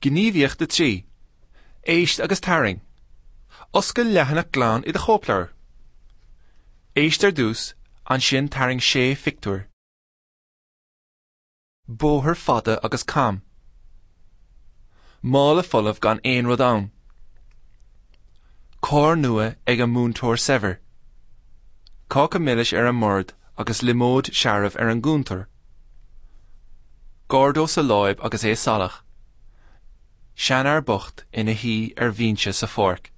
Gníomhaíocht 3. Éist agus tarraing. Oscail leathanach glan i do chóipleabhar. Éist ar dtús, ansin tarraing sé phictiúr. Bóthar fada agus cam. Mála folamh gan aon rud ann. Carr nua ag an múinteoir saibhir. Cáca milis ar an mbord agus liomóid searbh ar an gcuntar. Gordo sa láib agus é salach. Seanfhear bocht ina shuí ar bhinse sa pháirc.